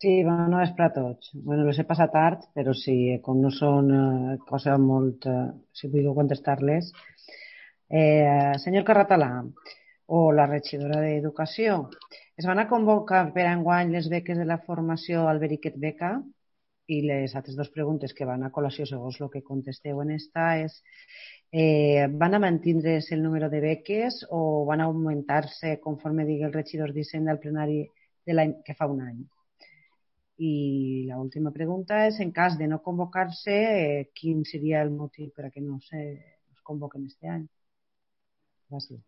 Sí, bona vespre a tots. Bueno, les he passat tard, però sí, com no són coses molt... si vull contestar-les. Senyor Carratalà, o la regidora d'Educació, es van a convocar per enguany les beques de la formació Alberiquet Beca i les altres dues preguntes que van a col·lació segons el que contesteu en esta és van a mantindre's el número de beques o van a augmentar-se conforme digui el regidor d'Hisenda al plenari de l'any que fa un any? I la última pregunta és, en cas de no convocar-se, quin seria el motiu per a que no se convoquen este any? Gràcies.